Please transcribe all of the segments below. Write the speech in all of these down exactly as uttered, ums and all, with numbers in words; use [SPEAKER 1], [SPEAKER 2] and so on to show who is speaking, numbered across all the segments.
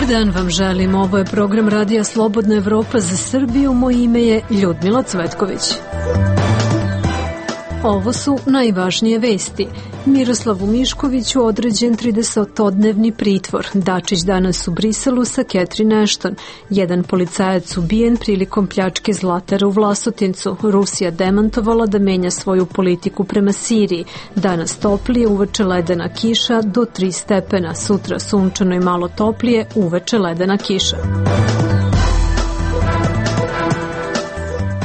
[SPEAKER 1] dan vam želim, ovo je program Radija Slobodna Evropa za Srbiju, moje ime je Ljudmila Cvetković. Ovo su najvažnije vesti. Miroslavu Miškoviću određen tridesetodnevni pritvor. Dačić danas u Briselu sa Catherine Ashton. Jedan policajac ubijen prilikom pljačke Zlatara u Vlasotincu. Rusija demantovala da menja svoju politiku prema Siriji. Danas toplije, uveče ledena kiša do tri stepena. Sutra sunčano i malo toplije, uveče ledena kiša.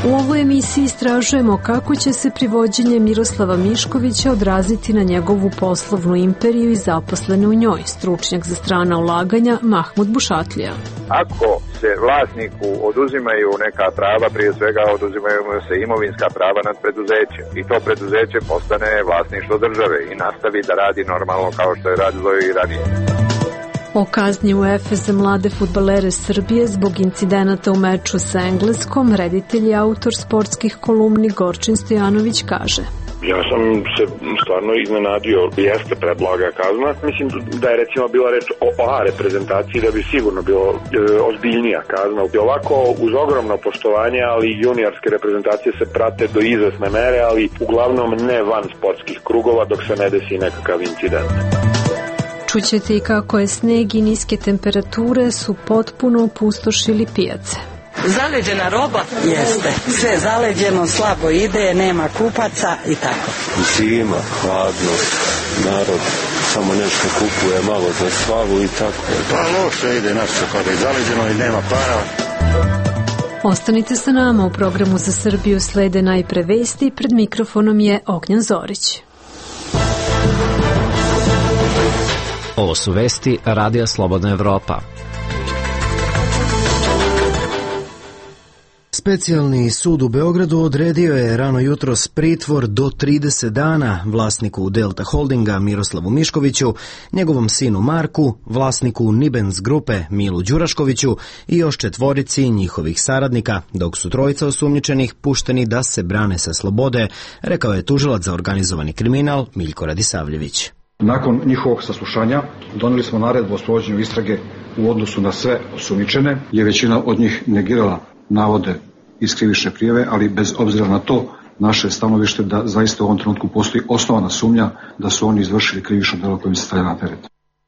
[SPEAKER 1] U ovoj emisiji istražujemo kako će se privođenje Miroslava Miškovića odraziti na njegovu poslovnu imperiju i zaposlene u njoj. Stručnjak za strana ulaganja Mahmud Bušatlija.
[SPEAKER 2] Ako se vlasniku oduzimaju neka prava, prije svega oduzimaju se imovinska prava nad preduzećem i to preduzeće postane vlasništvo države i nastavi da radi normalno kao što je radilo i ranije.
[SPEAKER 1] O kazni UEFA za mlade fudbalere Srbije zbog incidenata u meču sa Engleskom, reditelj i autor sportskih kolumni Gorčin Stojanović kaže:
[SPEAKER 3] Ja sam se stvarno iznenadio, jeste predblaga kazna. Mislim da je recimo bila reč o A reprezentaciji, da bi sigurno bilo e, ozbiljnija kazna. I ovako uz ogromno poštovanje, ali juniorske reprezentacije se prate do izvesne mere, ali uglavnom ne van sportskih krugova dok se ne desi nekakav incident.
[SPEAKER 1] Čućete i kako je sneg i niske temperature su potpuno opustošili pijace.
[SPEAKER 4] Zaleđena roba? Jeste. Sve zaleđeno, slabo ide, nema kupaca i tako.
[SPEAKER 5] Zima, hladno, narod samo nešto kupuje malo za slavu i tako.
[SPEAKER 6] Pa loše ide naše kada je zaleđeno i nema para.
[SPEAKER 1] Ostanite sa nama, u programu za Srbiju slede najpre vesti, pred mikrofonom je Ognjan Zorić.
[SPEAKER 7] Ovo su vesti Radija Slobodna Evropa.
[SPEAKER 8] Specijalni sud u Beogradu odredio je rano jutros pritvor do trideset dana vlasniku Delta Holdinga Miroslavu Miškoviću, njegovom sinu Marku, vlasniku Nibens grupe Milu Đuraškoviću i još četvorici njihovih saradnika, dok su trojica osumnjičenih pušteni da se brane sa slobode, rekao je tužilac za organizovani kriminal Miljko Radisavljević.
[SPEAKER 9] Nakon njihovog saslušanja doneli smo naredbu o sprovođenju istrage u odnosu na sve osumnjičene, je većina od njih negirala navode iz krivične prijave, ali bez obzira na to naše stanovište da zaista u ovom trenutku postoji osnovana sumnja da su oni izvršili krivično delo kojim se stavlja na teret.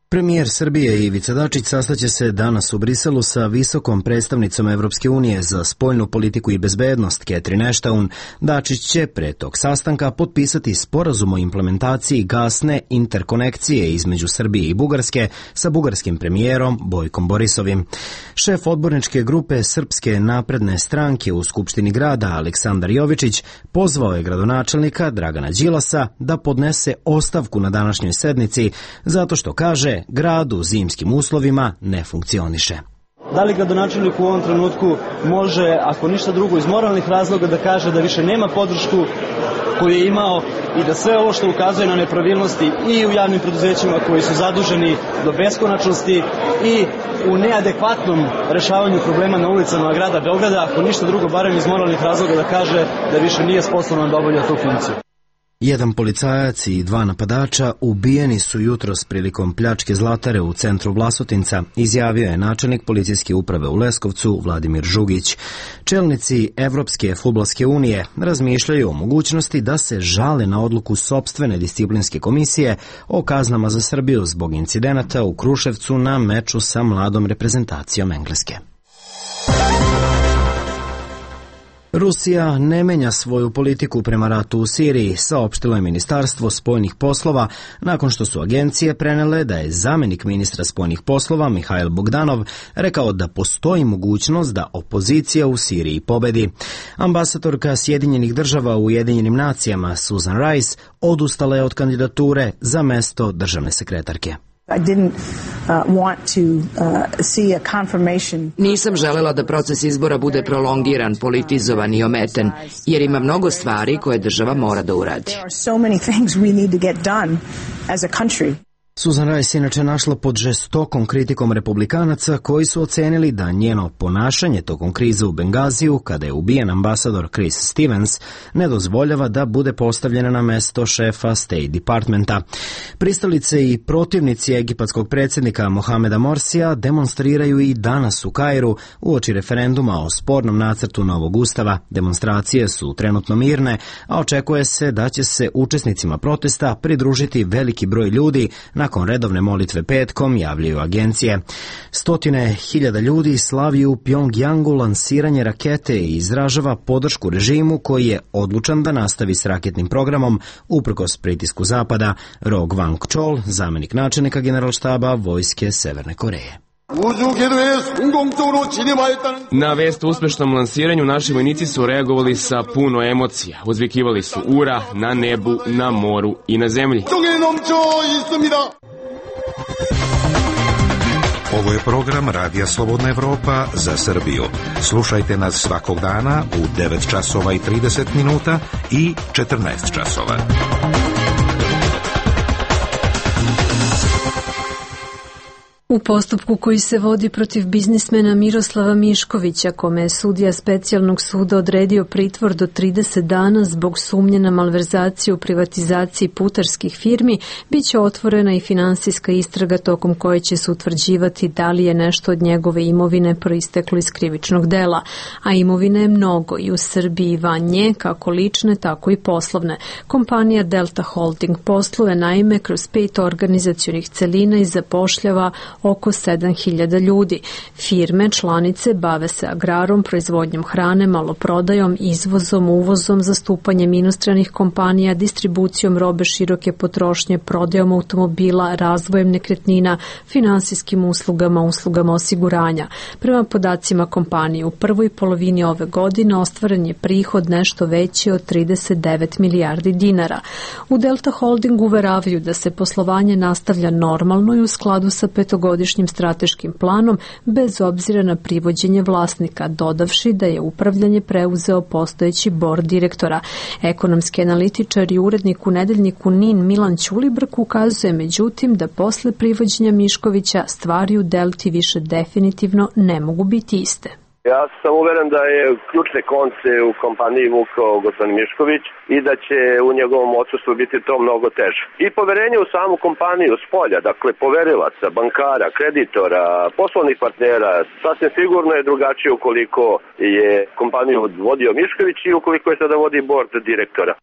[SPEAKER 8] Premijer Srbije Ivica Dačić sastaće se danas u Briselu sa visokom predstavnicom Evropske unije za spoljnu politiku i bezbednost Catherine Ashton. Dačić će pre tog sastanka potpisati sporazum o implementaciji gasne interkonekcije između Srbije i Bugarske sa bugarskim premijerom Bojkom Borisovim. Šef odborničke grupe Srpske napredne stranke u Skupštini grada Aleksandar Jovičić pozvao je gradonačelnika Dragana Đilasa da podnese ostavku na današnjoj sednici zato što, kaže, grad u zimskim uslovima ne funkcioniše.
[SPEAKER 10] Da li gradonačelnik u ovom trenutku može, ako ništa drugo, iz moralnih razloga da kaže da više nema podršku koju je imao i da sve ovo što ukazuje na nepravilnosti i u javnim preduzećima koji su zaduženi do beskonačnosti i u neadekvatnom rešavanju problema na ulicama grada Beograda, ako ništa drugo, barem iz moralnih razloga da kaže da više nije sposoban da obavlja tu funkciju.
[SPEAKER 8] Jedan policajac i dva napadača ubijeni su jutros prilikom pljačke Zlatare u centru Vlasotinca, izjavio je načelnik policijske uprave u Leskovcu Vladimir Žugić. Čelnici Evropske fudbalske unije razmišljaju o mogućnosti da se žale na odluku sopstvene disciplinske komisije o kaznama za Srbiju zbog incidenata u Kruševcu na meču sa mladom reprezentacijom Engleske. Rusija ne menja svoju politiku prema ratu u Siriji, saopštilo je Ministarstvo spoljnih poslova nakon što su agencije prenele da je zamenik ministra spoljnih poslova Mihajl Bogdanov rekao da postoji mogućnost da opozicija u Siriji pobedi. Ambasadorka Sjedinjenih država u Ujedinjenim nacijama Susan Rice odustala je od kandidature za mesto državne sekretarke.
[SPEAKER 11] Nisam želela da proces izbora bude prolongiran, politizovan i ometen, jer ima mnogo stvari koje država mora da uradi.
[SPEAKER 8] Susan Rice se inače našla pod žestokom kritikom republikanaca koji su ocenili da njeno ponašanje tokom krize u Bengaziju, kada je ubijen ambasador Chris Stevens, ne dozvoljava da bude postavljena na mesto šefa State Departmenta. Pristalice i protivnici egipatskog predsjednika Mohameda Morsija demonstriraju i danas u Kairu uoči referenduma o spornom nacrtu novog ustava. Demonstracije su trenutno mirne, a očekuje se da će se učesnicima protesta pridružiti veliki broj ljudi nakon redovne molitve petkom, javljaju agencije. Stotine hiljada ljudi slavi u Pjongjangu lansiranje rakete i izražava podršku režimu koji je odlučan da nastavi s raketnim programom uprkos pritisku Zapada. Rog Wang Chol, zamenik načelnika generalštaba vojske Severne Koreje.
[SPEAKER 12] Na vest o uspešnom lansiranju naši vojnici su reagovali sa puno emocija. Uzvikivali su ura na nebu, na moru i na zemlji.
[SPEAKER 13] Ovo je program Radija Slobodna Evropa za Srbiju. Slušajte nas svakog dana u devet časova i trideset minuta i četrnaest časova.
[SPEAKER 1] U postupku koji se vodi protiv biznismena Miroslava Miškovića, kome je sudija specijalnog suda odredio pritvor do trideset dana zbog sumnje na malverzaciju u privatizaciji putarskih firmi, bit će otvorena i finansijska istraga tokom koje će se utvrđivati da li je nešto od njegove imovine proisteklo iz krivičnog dela. A imovine je mnogo i u Srbiji i van nje, kako lične, tako i poslovne. Kompanija Delta Holding posluje naime kroz pet organizacionih celina i zapošljava oko sedam hiljada ljudi. Firme, članice bave se agrarom, proizvodnjom hrane, maloprodajom, izvozom, uvozom, zastupanjem inostranih kompanija, distribucijom robe široke potrošnje, prodajom automobila, razvojem nekretnina, finansijskim uslugama, uslugama osiguranja. Prema podacima kompanije, u prvoj polovini ove godine ostvaren je prihod nešto veći od trideset devet milijardi dinara. U Delta Holdingu uveravaju da se poslovanje nastavlja normalno i u skladu sa petogodišnjim godišnjim strateškim planom bez obzira na privođenje vlasnika, dodavši da je upravljanje preuzeo postojeći bord direktora. Ekonomski analitičar i urednik u nedeljniku N I N Milan Ćulibrk ukazuje međutim da posle privođenja Miškovića stvari u Delti više definitivno ne mogu biti iste.
[SPEAKER 14] Ja sam uveren da je ključne konce u kompaniji vukao gospodin Mišković i da će u njegovom odsustvu biti to mnogo teže. I poverenje u samu kompaniju s polja, dakle poverilaca, bankara, kreditora, poslovnih partnera, sasvim sigurno je drugačije ukoliko je kompaniju vodio Mišković i ukoliko je sada vodi bord direktora.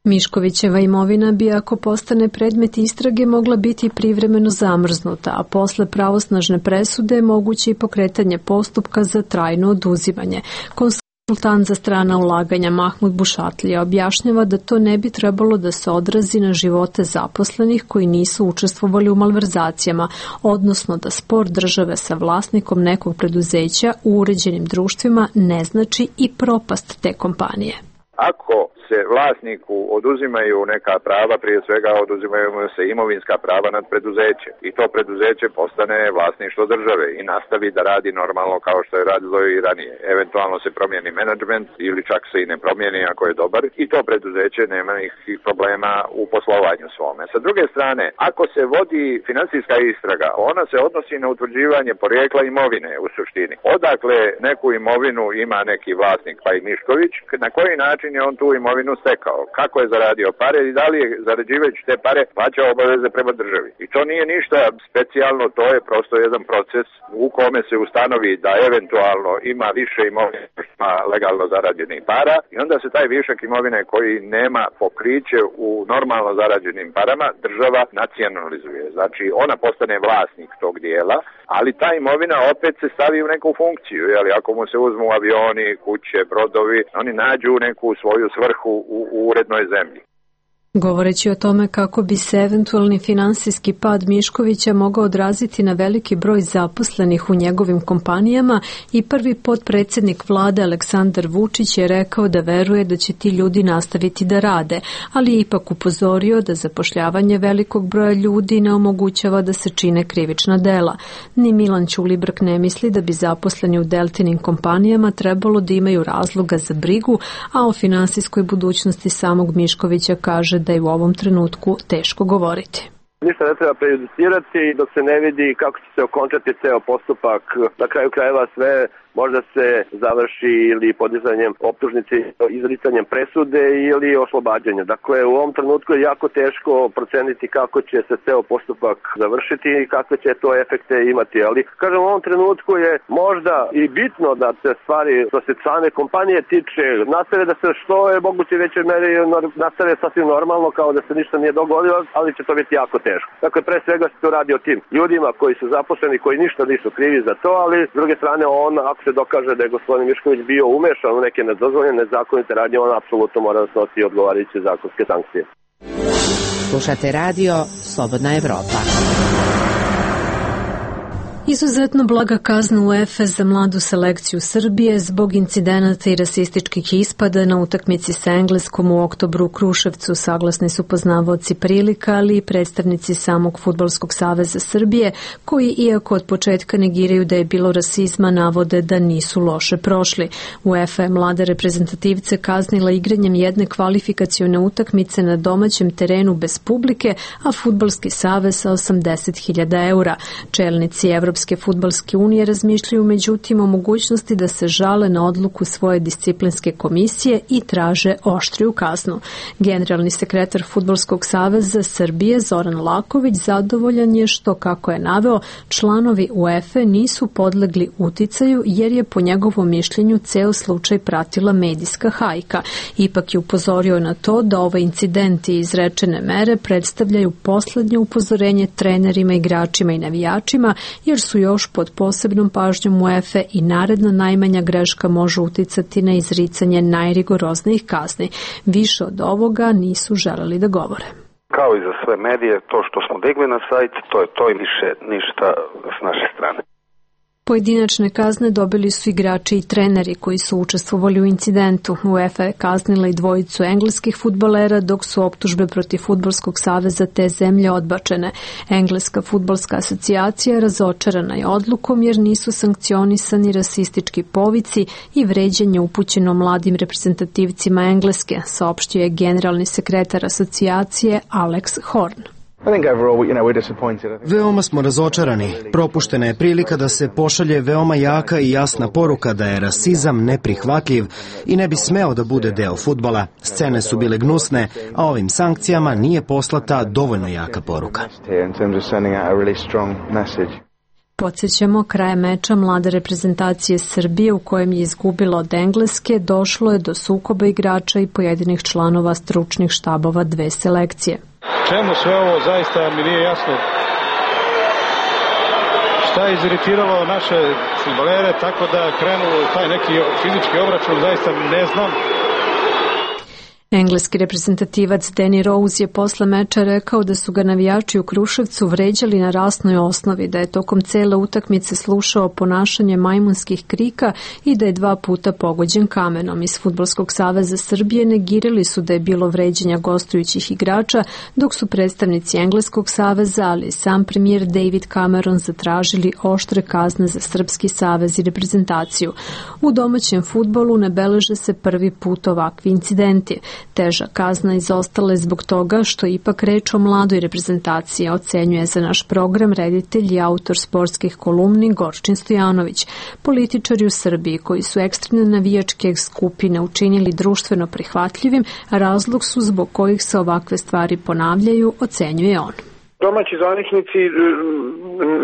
[SPEAKER 1] Miškovićeva imovina bi, ako postane predmet istrage, mogla biti privremeno zamrznuta, a posle pravosnažne presude je moguće i pokretanje postupka za trajno oduzimanje. Konsultant za strana ulaganja Mahmud Bušatlija objašnjava da to ne bi trebalo da se odrazi na živote zaposlenih koji nisu učestvovali u malverzacijama, odnosno da spor države sa vlasnikom nekog preduzeća u uređenim društvima ne znači i propast te kompanije.
[SPEAKER 2] Ako se vlasniku oduzimaju neka prava, prije svega oduzimaju mu se imovinska prava nad preduzećem i to preduzeće postane vlasništvo države i nastavi da radi normalno kao što je radilo i ranije. Eventualno se promijeni menadžment ili čak se i ne promijeni ako je dobar i to preduzeće nema nikakvih problema u poslovanju svome. Sa druge strane, ako se vodi finansijska istraga, ona se odnosi na utvrđivanje porijekla imovine u suštini. Odakle neku imovinu ima neki vlasnik, pa i Mišković, na koji način je on tu imovinu stekao, kako je zaradio pare i da li je zarađivajući te pare plaćao obaveze prema državi. I to nije ništa specijalno, to je prosto jedan proces u kome se ustanovi da eventualno ima više imovine ima legalno zarađenih para i onda se taj višak imovine koji nema pokriće u normalno zarađenim parama država nacionalizuje. Znači ona postane vlasnik tog dijela, ali ta imovina opet se stavi u neku funkciju. Jeli, ako mu se uzmu avioni, kuće, brodovi, oni nađu neku svoju svrhu u, u urednoj zemlji.
[SPEAKER 1] Govoreći o tome kako bi se eventualni finansijski pad Miškovića mogao odraziti na veliki broj zaposlenih u njegovim kompanijama, i prvi potpredsjednik vlade Aleksandar Vučić je rekao da veruje da će ti ljudi nastaviti da rade, ali je ipak upozorio da zapošljavanje velikog broja ljudi ne omogućava da se čine krivična dela. Ni Milan Ćulibrk ne misli da bi zaposleni u Deltinim kompanijama trebalo da imaju razloga za brigu, a o finansijskoj budućnosti samog Miškovića kaže da je u ovom trenutku teško govoriti.
[SPEAKER 14] Ništa ne treba prejudicirati dok se ne vidi kako će se okončati ceo postupak. Na kraju krajeva sve možda se završi ili podizanjem optužnice, izricanjem presude ili oslobađanjem. Dakle, u ovom trenutku je jako teško proceniti kako će se ceo postupak završiti i kakve će to efekte imati. Ali, kažem, u ovom trenutku je možda i bitno da se stvari, što se same kompanije tiče, nastave da se što je moguće većoj meri nastave sasvim normalno, kao da se ništa nije dogodilo, ali će to biti jako teško. Dakle, pre svega se to radi o tim ljudima koji su zaposleni, koji ništa nisu krivi za to, ali s druge strane on, ako se dokaže da je gospodin Mišković bio umešan u neke nedozvoljene, nezakonite radnje, on apsolutno mora da snosi odgovarajuće zakonske sankcije.
[SPEAKER 15] Slušate radio Slobodna Evropa.
[SPEAKER 1] Izuzetno blaga kazna UEFA za mladu selekciju Srbije zbog incidenata i rasističkih ispada na utakmici sa Engleskom u oktobru u Kruševcu, saglasni su poznavaoci prilika, ali i predstavnici samog Fudbalskog saveza Srbije, koji iako od početka negiraju da je bilo rasizma, navode da nisu loše prošli. UEFA je mlade reprezentativce kaznila igranjem jedne kvalifikacione utakmice na domaćem terenu bez publike, a Fudbalski savez sa osamdeset hiljada eura. Čelnici Evropske Evropske fudbalske unije razmišljaju međutim o mogućnosti da se žale na odluku svoje disciplinske komisije i traže oštriju kaznu. Generalni sekretar Fudbalskog saveza Srbije Zoran Laković zadovoljan je što, kako je naveo, članovi UEFA nisu podlegli uticaju jer je po njegovom mišljenju ceo slučaj pratila medijska hajka. Ipak je upozorio na to da ove incidenti i izrečene mere predstavljaju poslednje upozorenje trenerima, igračima i navijačima, jer su još pod posebnom pažnjom UEFA i naredna najmanja greška može uticati na izricanje najrigoroznijih kazni. Više od ovoga nisu želeli da govore.
[SPEAKER 16] Kao i za sve medije, to što smo digli na sajt, to je to i više ništa s naše strane.
[SPEAKER 1] Pojedinačne kazne dobili su igrači i treneri koji su učestvovali u incidentu. UEFA je kaznila i dvojicu engleskih fudbalera, dok su optužbe protiv Fudbalskog saveza te zemlje odbačene. Engleska fudbalska asocijacija razočarana je odlukom jer nisu sankcionisani rasistički povici i vređanje upućeno mladim reprezentativcima Engleske, saopštio je generalni sekretar asocijacije Alex Horn.
[SPEAKER 8] Veoma smo razočarani. Propuštena je prilika da se pošalje veoma jaka i jasna poruka da je rasizam neprihvatljiv i ne bi smeo da bude deo fudbala. Scene su bile gnusne, a ovim sankcijama nije poslata dovoljno jaka poruka.
[SPEAKER 1] Podsjećamo, krajem meča mlade reprezentacije Srbije u kojem je izgubila od Engleske došlo je do sukoba igrača i pojedinih članova stručnih štabova dve selekcije.
[SPEAKER 17] Čemu sve ovo, zaista mi nije jasno. Šta je iziritiralo naše fudbalere tako da krenu taj neki fizički obračun, zaista ne znam.
[SPEAKER 1] Engleski reprezentativac Danny Rose je posle meča rekao da su ga navijači u Kruševcu vređali na rasnoj osnovi, da je tokom cele utakmice slušao ponašanje majmunskih krika i da je dva puta pogođen kamenom. Iz Fudbalskog saveza Srbije negirali su da je bilo vređenja gostujućih igrača, dok su predstavnici Engleskog saveza, ali i sam premijer David Cameron zatražili oštre kazne za Srpski savez i reprezentaciju. U domaćem fudbalu ne beleže se prvi put ovakvi incidenti. Teža kazna izostala je zbog toga što ipak reč o mladoj reprezentaciji, ocenjuje za naš program reditelj i autor sportskih kolumni Gorčin Stojanović. Političari u Srbiji koji su ekstremne navijačke skupine učinili društveno prihvatljivim, razlog su zbog kojih se ovakve stvari ponavljaju, ocenjuje on.
[SPEAKER 3] Domaći zvaničnici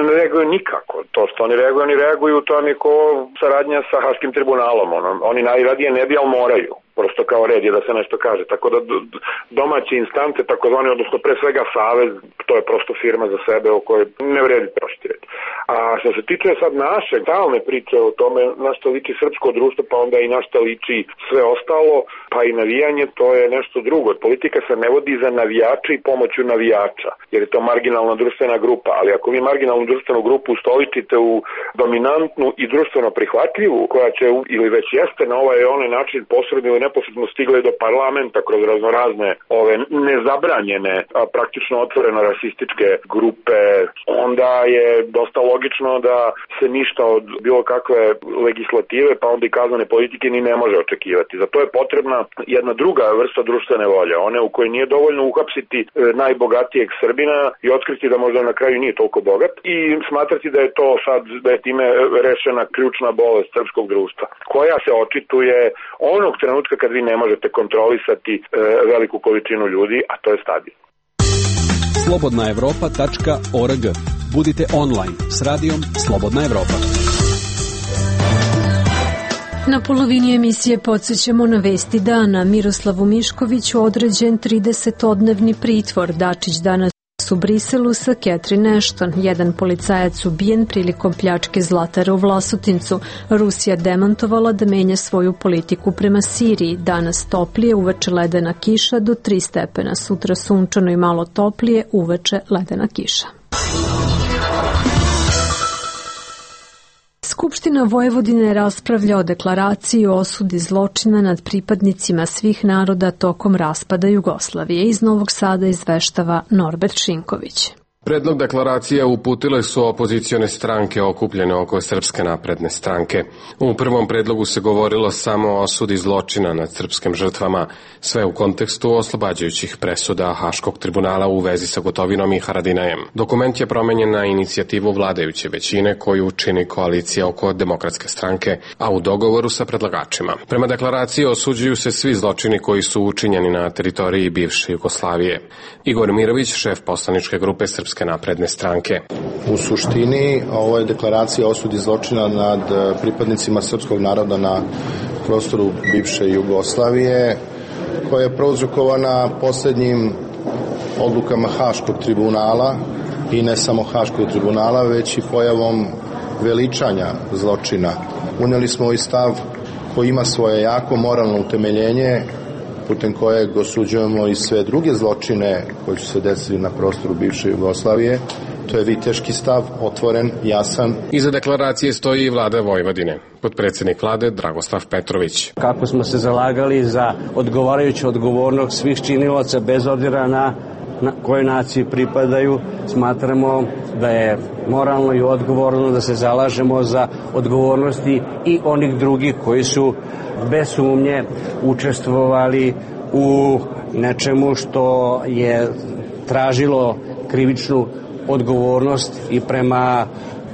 [SPEAKER 3] ne reaguju nikako. To što oni reaguju, oni reaguju, to je ko saradnja sa Haškim tribunalom. Oni najradije ne bi, ali moraju. Prosto kao red je da se nešto kaže. Tako da domaće instance, takozvani, odnosno pre svega Savez, to je prosto firma za sebe o kojoj ne vredi proštirati. A što se tiče sad naše stalne priče o tome na što liči srpsko društvo, pa onda i na što liči sve ostalo, pa i navijanje, to je nešto drugo. Politika se ne vodi za navijače i pomoću navijača, jer je to marginalna društvena grupa. Ali ako vi marginalnu društvenu grupu ustoličite u dominantnu i društveno prihvatljivu, koja će ili već jeste na ovaj onaj način posredno ili neposredno stigle do parlamenta kroz raznorazne ove nezabranjene, a praktično otvoreno rasističke grupe, onda je dosta logično da se ništa od bilo kakve legislative, pa onda i kaznene politike ni ne može očekivati. Za to je potrebna jedna druga vrsta društvene volje, one u kojoj nije dovoljno uhapsiti najbogatijeg Srbina i otkriti da možda na kraju nije toliko bogat i smatrati da je to sad, da je time rešena ključna bolest srpskog društva, koja se očituje onog trenutka kad vi ne možete kontrolisati e, veliku količinu ljudi, a to je stadion.
[SPEAKER 18] slobodna evropa tačka org. Budite online s radijom Slobodna Evropa.
[SPEAKER 1] Na polovini emisije podsjećamo na vesti dana. Miroslavu Miškoviću određen tridesetodnevni pritvor. Dačić danas u Briselu sa Catherine Ashton. Jedan policajac ubijen prilikom pljačke zlatara u Vlasotincu. Rusija demantovala da menja svoju politiku prema Siriji. Danas toplije, uveče ledena kiša do tri stepena. Sutra sunčano i malo toplije, uveče ledena kiša. Skupština Vojvodine raspravlja o deklaraciji o osudi zločina nad pripadnicima svih naroda tokom raspada Jugoslavije. Iz Novog Sada izveštava Norbert Šinković.
[SPEAKER 19] Predlog deklaracije uputile su opozicione stranke okupljene oko Srpske napredne stranke. U prvom predlogu se govorilo samo o osudi zločina nad srpskim žrtvama, sve u kontekstu oslobađajućih presuda Haškog tribunala u vezi sa Gotovinom i Haradinajem. Dokument je promenjen na inicijativu vladajuće većine koju čini koalicija oko Demokratske stranke, a u dogovoru sa predlagačima. Prema deklaraciji osuđuju se svi zločini koji su učinjeni na teritoriji bivše Jugoslavije. Igor Mirović, šef poslaničke grupe Srpske napredne stranke.
[SPEAKER 20] U suštini, ovo je deklaracija o osudi zločina nad pripadnicima srpskog naroda na prostoru bivše Jugoslavije, koja je prouzrokovana poslednjim odlukama Haškog tribunala i ne samo Haškog tribunala, već i pojavom veličanja zločina. Uneli smo ovaj stav koji ima svoje jako moralno utemeljenje, putem kojeg osuđujemo i sve druge zločine koji su se desili na prostoru bivše Jugoslavije. To je viteški stav, otvoren, jasan.
[SPEAKER 19] Iza deklaracije stoji i vlada Vojvodine. Potpredsjednik vlade Dragoslav Petrović.
[SPEAKER 21] Kako smo se zalagali za odgovarajuću odgovornost svih činilaca bez obzira na, na kojoj naciji pripadaju, smatramo da je moralno i odgovorno da se zalažemo za odgovornosti i onih drugih koji su bez sumnje učestvovali u nečemu što je tražilo krivičnu odgovornost i prema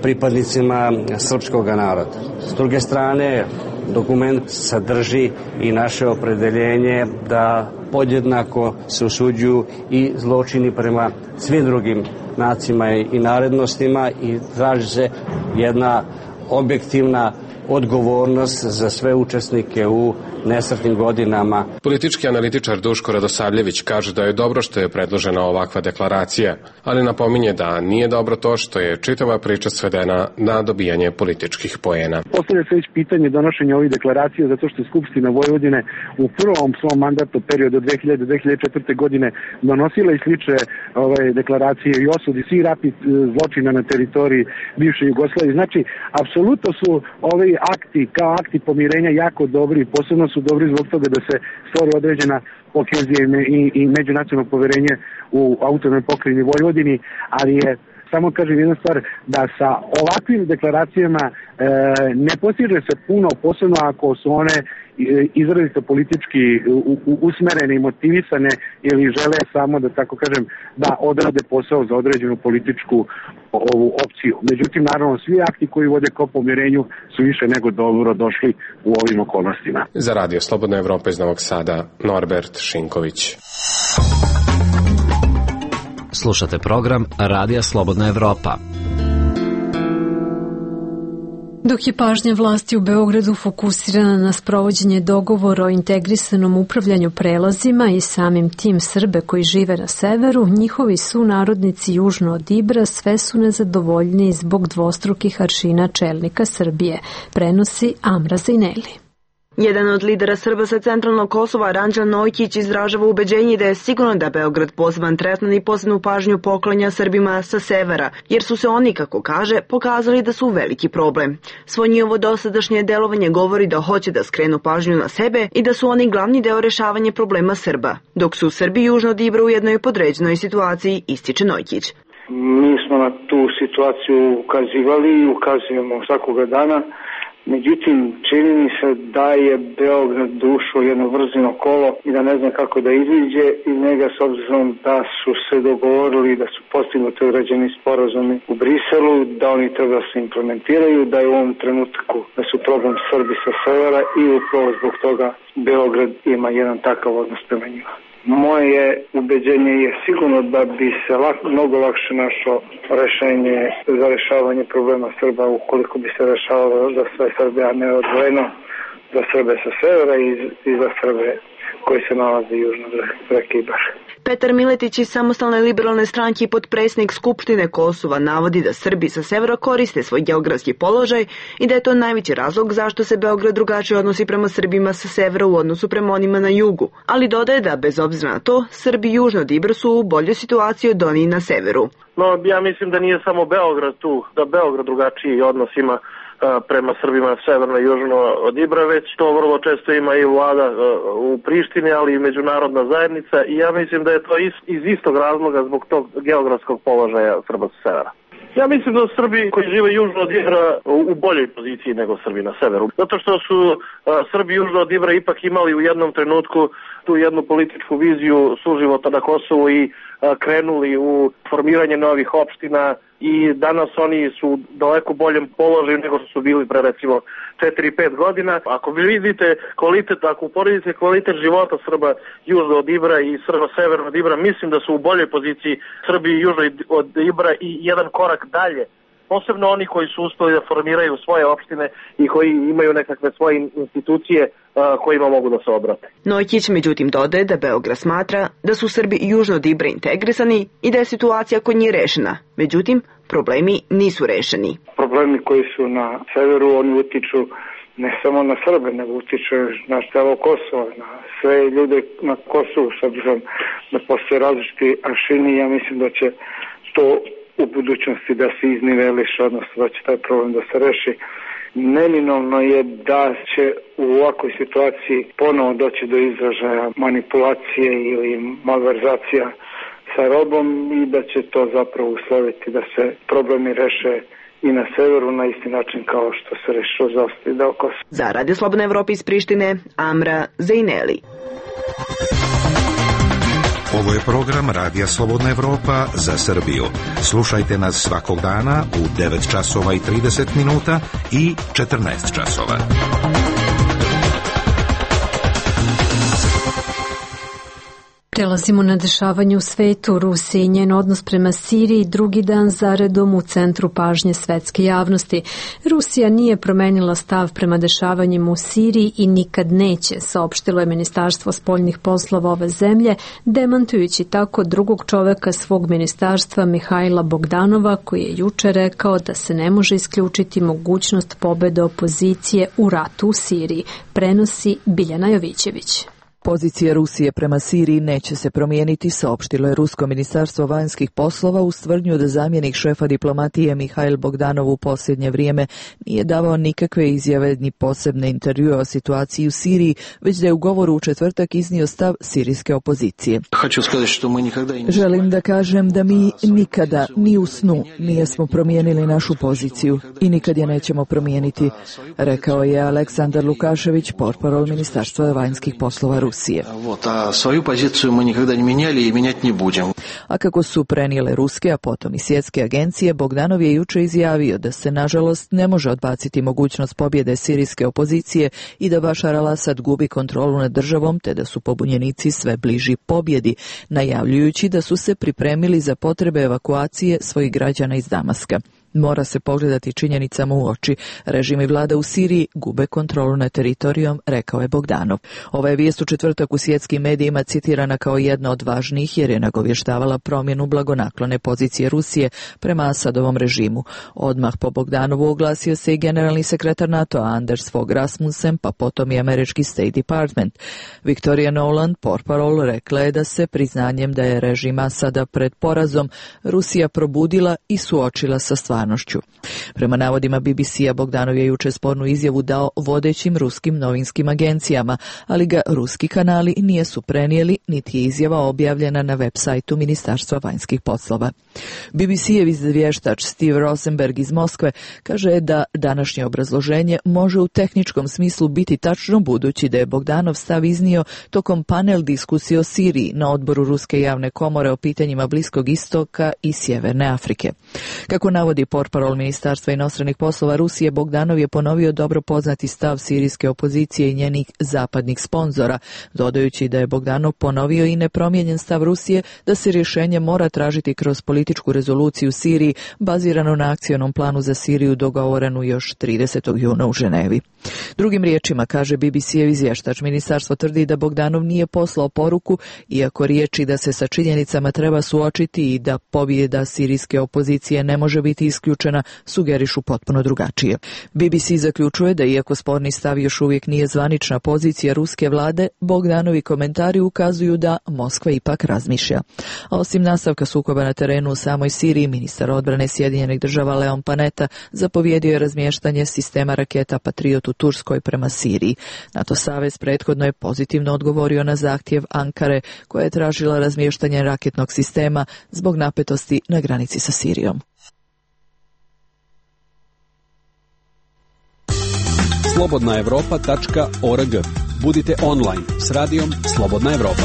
[SPEAKER 21] pripadnicima srpskog naroda. S druge strane, dokument sadrži i naše opredeljenje da podjednako se osuđuju i zločini prema svim drugim nacijama i narodnostima i traži se jedna objektivna odgovornost za sve učesnike u nesretnim godinama.
[SPEAKER 19] Politički analitičar Duško Radosavljević kaže da je dobro što je predložena ovakva deklaracija, ali napominje da nije dobro to što je čitava priča svedena na dobijanje političkih poena.
[SPEAKER 22] Postavlja se već pitanje donošenja ovih deklaracija zato što je Skupština Vojvodine u prvom svom mandatu periodu od dve hiljade do dve hiljade četvrte. godine donosila i slične ove deklaracije i osudi svih ratnih zločina na teritoriji bivše Jugoslavije. Znači, apsolutno su ovi akti kao akti pomirenja jako dobri, posebno su dobri zbog toga da se stvori određena kohezija i, i međunacionalno poverenje u autonomnoj pokrajini Vojvodini, ali je, samo kažem jedna stvar, da sa ovakvim deklaracijama e, ne postiže se puno, posebno ako su one izrazito politički u, u, usmerene i motivisane ili žele samo, da tako kažem, da odrade posao za određenu političku ovu opciju. Međutim, naravno, svi akti koji vode ka pomirenju su više nego dobro došli u ovim okolnostima.
[SPEAKER 19] Za Radio Slobodna Evropa iz Novog Sada, Norbert Šinković.
[SPEAKER 7] Slušate program Radija Slobodna Evropa.
[SPEAKER 1] Dok je pažnja vlasti u Beogradu fokusirana na sprovođenje dogovora o integrisanom upravljanju prelazima i samim tim Srbe koji žive na severu, njihovi sunarodnici južno od Ibra sve su nezadovoljniji zbog dvostrukih aršina čelnika Srbije, prenosi Amra Zajneli.
[SPEAKER 4] Jedan od lidera Srba sa centralnog Kosova, Ranđel Nojkić, izražava ubeđenje da je sigurno da Beograd poseban tretman i posebnu pažnju poklanja Srbima sa severa, jer su se oni, kako kaže, pokazali da su veliki problem. Svo njihovo dosadašnje delovanje govori da hoće da skrenu pažnju na sebe i da su oni glavni deo rešavanja problema Srba, dok su Srbi južno od Ibra u jednoj podređenoj situaciji, ističe Nojkić.
[SPEAKER 5] Mi smo na tu situaciju ukazivali i ukazujemo svakoga dana. Međutim, čini mi se da je Beograd ušao jedno vrzino kolo i da ne zna kako da iziđe iz njega, s obzirom da su se dogovorili da su postignuti određeni sporazumi u Briselu, da oni treba da se implementiraju, da je u ovom trenutku da su problem Srbi sa severa i upravo zbog toga Beograd ima jedan takav odnos prema njima. Moje ubeđenje je sigurno da bi se lak, mnogo lakše našlo rešenje za rešavanje problema Srba ukoliko bi se rešavalo za sve Srbe, a ne odvojeno za Srbe sa severa i, i za Srbe koji se nalaze južno od reke Ibar.
[SPEAKER 4] Petar Miletić iz Samostalne liberalne stranke i potpredsjednik Skupštine Kosova navodi da Srbi sa severa koriste svoj geografski položaj i da je to najveći razlog zašto se Beograd drugačije odnosi prema Srbima sa severa u odnosu prema onima na jugu, ali dodaje da bez obzira na to, Srbi južno od Ibra su u boljoj situaciji od onih na severu.
[SPEAKER 23] No, ja mislim da nije samo Beograd tu, da Beograd drugačiji odnos ima prema Srbima severno i južno od Ibra, već to vrlo često ima i vlada u Prištini, ali i međunarodna zajednica, i ja mislim da je to iz, iz istog razloga zbog tog geografskog položaja Srba sa severa. Ja mislim da Srbi koji žive južno od Ibra u boljoj poziciji nego Srbi na severu. Zato što su Srbi južno od Ibra ipak imali u jednom trenutku tu jednu političku viziju suživota na Kosovu i krenuli u formiranje novih opština i danas oni su u daleko boljem položaju nego što su bili pre recimo četiri pet godina. Ako vi vidite kvalitet, ako uporedite kvalitet života Srba južno od Ibra i Srba severno od Ibra, mislim da su u boljoj poziciji Srbi južno od Ibra i jedan korak dalje. Posebno oni koji su uspeli da formiraju svoje opštine i koji imaju nekakve svoje institucije kojima mogu da se obrate.
[SPEAKER 4] Nojkić međutim dodaje da Beograd smatra da su Srbi južno od Ibra integrisani i da je situacija kod njih rešena. Međutim, problemi nisu rešeni.
[SPEAKER 5] Problemi koji su na severu, oni utiču ne samo na Srbe, nego utiču na celo Kosovo, na sve ljude na Kosovu, s obzirom da postoje različiti aršini. Ja mislim da će to u budućnosti da se izniveliše, odnosno da će taj problem da se reši. Neminovno je da će u ovakvoj situaciji ponovo doći do izražaja manipulacije ili malverzacija sa robom i da će to zapravo usloviti da se problemi reše i na severu na isti način kao što se rešilo za ostali deo Kosova.
[SPEAKER 4] Za Radio Slobodna Evropa iz Prištine, Amra Zejneli.
[SPEAKER 13] Ovo je program Radija Slobodna Evropa za Srbiju. Slušajte nas svakog dana u devet časova i trideset minuta i četrnaest časova.
[SPEAKER 1] Prelazimo na dešavanje u svetu. Rusija i njen odnos prema Siriji drugi dan zaredom u centru pažnje svetske javnosti. Rusija nije promenila stav prema dešavanjima u Siriji i nikad neće, saopštilo je Ministarstvo spoljnih poslova ove zemlje, demantujući tako drugog čoveka svog ministarstva Mihajla Bogdanova, koji je juče rekao da se ne može isključiti mogućnost pobede opozicije u ratu u Siriji, prenosi Biljana Jovićević.
[SPEAKER 24] Pozicija Rusije prema Siriji neće se promijeniti, saopštilo je Rusko ministarstvo vanjskih poslova uz tvrdnju da zamjenik šefa diplomatije Mihajl Bogdanov u posljednje vrijeme nije davao nikakve izjave ni posebne intervjue o situaciji u Siriji, već da je u govoru u četvrtak iznio stav sirijske opozicije. Želim da kažem da mi nikada, ni u snu, nijesmo promijenili našu poziciju i nikad je nećemo promijeniti, rekao je Aleksandar Lukašević, portparol ministarstva vanjskih poslova Rusije.
[SPEAKER 6] A svoju poziciju mi nikada ne mijenjali i mijenjati ne budemo.
[SPEAKER 24] A kako su prenijele ruske, a potom i svjetske agencije, Bogdanov je juče izjavio da se nažalost ne može odbaciti mogućnost pobjede sirijske opozicije i da Bašar al-Asad gubi kontrolu nad državom, te da su pobunjenici sve bliži pobjedi, najavljujući da su se pripremili za potrebe evakuacije svojih građana iz Damaska. Mora se pogledati činjenicama u oči. Režim i vlada u Siriji gube kontrolu nad teritorijom, rekao je Bogdanov. Ova je vijest u četvrtak u svjetskim medijima citirana kao jedna od važnijih jer je nagovještavala promjenu blagonaklone pozicije Rusije prema Asadovom režimu. Odmah po Bogdanovu oglasio se i generalni sekretar NATO Anders Fogh Rasmussen, pa potom i američki State Department. Victoria Noland, portparol, rekla je da se priznanjem da je režim Asada pred porazom Rusija probudila i suočila sa stvarnošću. Prema navodima B B C-a, Bogdanov je juče spornu izjavu dao vodećim ruskim novinskim agencijama, ali ga ruski kanali nisu prenijeli, niti je izjava objavljena na web sajtu Ministarstva vanjskih poslova. B B C-ev izvještač Steve Rosenberg iz Moskve kaže da današnje obrazloženje može u tehničkom smislu biti tačno, budući da je Bogdanov stav iznio tokom panel diskusije o Siriji na odboru Ruske javne komore o pitanjima Bliskog istoka i Sjeverne Afrike. Kako navodi portparol Ministarstva inostranih poslova Rusije, Bogdanov je ponovio dobro poznati stav sirijske opozicije i njenih zapadnih sponzora, dodajući da je Bogdanov ponovio i nepromijenjen stav Rusije da se rješenje mora tražiti kroz političku rezoluciju u Siriji baziranu na akcionom planu za Siriju dogovorenu još tridesetog juna u Ženevi. Drugim riječima, kaže B B C-ev izvještač, ministarstvo tvrdi da Bogdanov nije poslao poruku, iako riječi da se sa činjenicama treba suočiti i da pobjeda sirijske opozicije ne može biti isključena sugerišu potpuno drugačije. B B C zaključuje da iako sporni stav još uvijek nije zvanična pozicija ruske vlade, Bogdanovi komentari ukazuju da Moskva ipak razmišlja. A osim nastavka sukoba na terenu u samoj Siriji, ministar odbrane Sjedinjenih država Leon Panetta zapovjedio je razmještanje sistema raketa Patriot u Turskoj prema Siriji. NATO savez prethodno je pozitivno odgovorio na zahtjev Ankare, koja je tražila razmještanje raketnog sistema zbog napetosti na granici sa Sirijom.
[SPEAKER 18] slobodna evropa tačka org. Budite online s radijom Slobodna Evropa.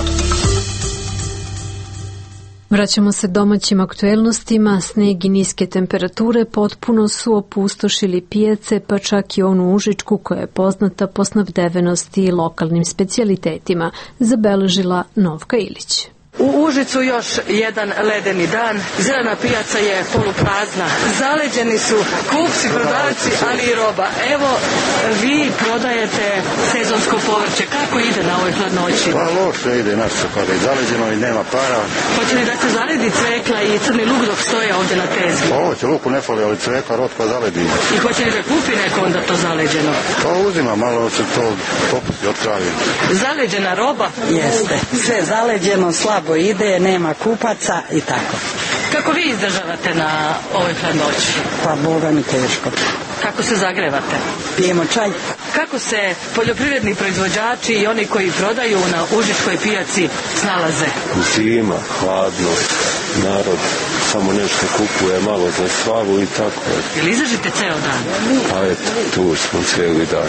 [SPEAKER 1] Vraćamo se domaćim aktuelnostima. Sneg i niske temperature potpuno su opustošili pijace, pa čak i onu Užičku koja je poznata po snabdevenosti i lokalnim specijalitetima, zabeležila Novka Ilić.
[SPEAKER 9] U Užicu još jedan ledeni dan, zelena pijaca je poluprazna, zaleđeni su kupci, prodavci, ali i roba. Evo, vi prodajete sezonsko povrće, kako ide na ovoj hladnoći?
[SPEAKER 6] Pa loše ide, naš se kada je zaleđeno i nema para.
[SPEAKER 9] Hoće li da se zaledi cvekla i crni luk dok stoje ovdje na tezgi?
[SPEAKER 6] Pa ovo će luku ne fali, ali cvekla, rotka zaledi.
[SPEAKER 9] I hoće li da kupi neko onda to zaleđeno?
[SPEAKER 6] Pa uzima, malo se to popusti od kraja.
[SPEAKER 9] Zaleđena roba?
[SPEAKER 10] Jeste, sve zaleđeno, slabo ide, nema kupaca i tako.
[SPEAKER 9] Kako vi izdržavate na ovoj hladnoći?
[SPEAKER 10] Pa Boga mi teško.
[SPEAKER 9] Kako se zagrevate?
[SPEAKER 10] Pijemo čaj.
[SPEAKER 9] Kako se poljoprivredni proizvođači i oni koji prodaju na Užičkoj pijaci snalaze?
[SPEAKER 11] Zima, hladno, narod samo nešto kupuje, malo za slavu i tako.
[SPEAKER 9] Ili izažite ceo dan?
[SPEAKER 11] Pa eto, tu smo cijeli dan.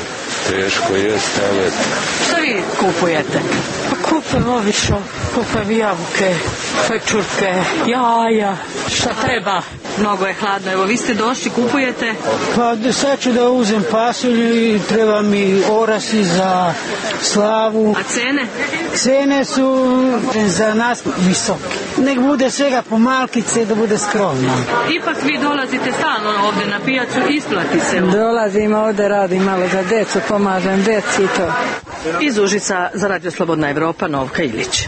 [SPEAKER 11] Teško jeste, ali eto.
[SPEAKER 9] Šta vi kupujete?
[SPEAKER 10] Pa kupujem obično, kupujem jabuke, pečurke, jaja.
[SPEAKER 9] Šta treba? Mnogo je hladno. Evo, vi ste došli, kupujete?
[SPEAKER 10] Pa sad ću da uzem pasulju i treba mi orasi za slavu.
[SPEAKER 9] A cene?
[SPEAKER 10] Cene su za nas visoke. Nek bude svega po malkice da bude skromno.
[SPEAKER 9] Ipak vi dolazite stalno ovdje na pijacu, isplati se.
[SPEAKER 10] Dolazim ovdje, radim malo za decu, pomažem deci i to.
[SPEAKER 9] Iz Užica za Radio Slobodna Evropa, Novka Ilić.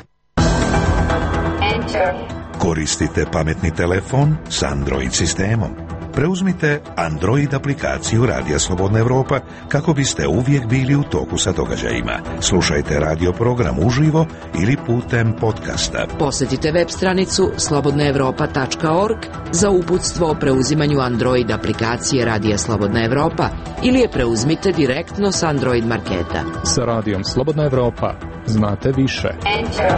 [SPEAKER 13] Koristite pametni telefon s Android sistemom. Preuzmite Android aplikaciju Radija Slobodna Evropa kako biste uvijek bili u toku sa događajima. Slušajte radio program uživo ili putem podcasta.
[SPEAKER 15] Posjetite web stranicu slobodna evropa tačka org za uputstvo o preuzimanju Android aplikacije Radija Slobodna Evropa ili je preuzmite direktno s Android marketa.
[SPEAKER 12] Sa Radijom Slobodna Evropa znate više. Enter.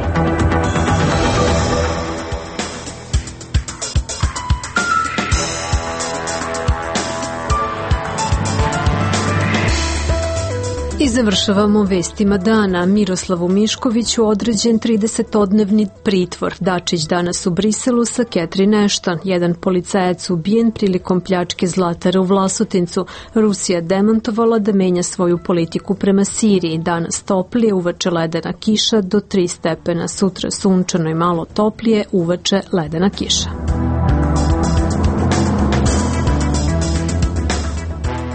[SPEAKER 1] I završavamo vestima dana. Miroslavu Miškoviću određen tridesetodnevni pritvor. Dačić danas u Briselu sa Catherine Ashton. Jedan policajac ubijen prilikom pljačke zlatara u Vlasotincu. Rusija demantovala da menja svoju politiku prema Siriji. Danas toplije, uveče ledena kiša do tri stepena. Sutra sunčano i malo toplije, uveče ledena kiša.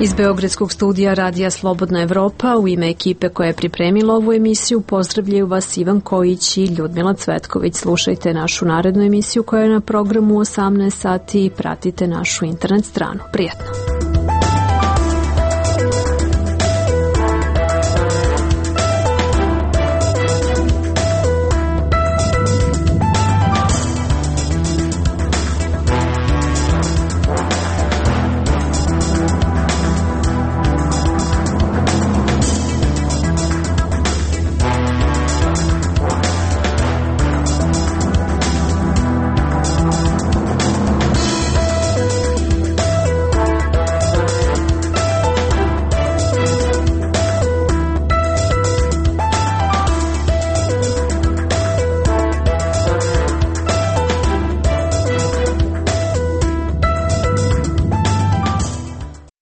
[SPEAKER 1] Iz Beogradskog studija Radija Slobodna Evropa u ime ekipe koja je pripremila ovu emisiju pozdravljaju vas Ivan Kojić i Ljudmila Cvetković. Slušajte našu narednu emisiju koja je na programu u osamnaest sati i pratite našu internet stranu. Prijatno!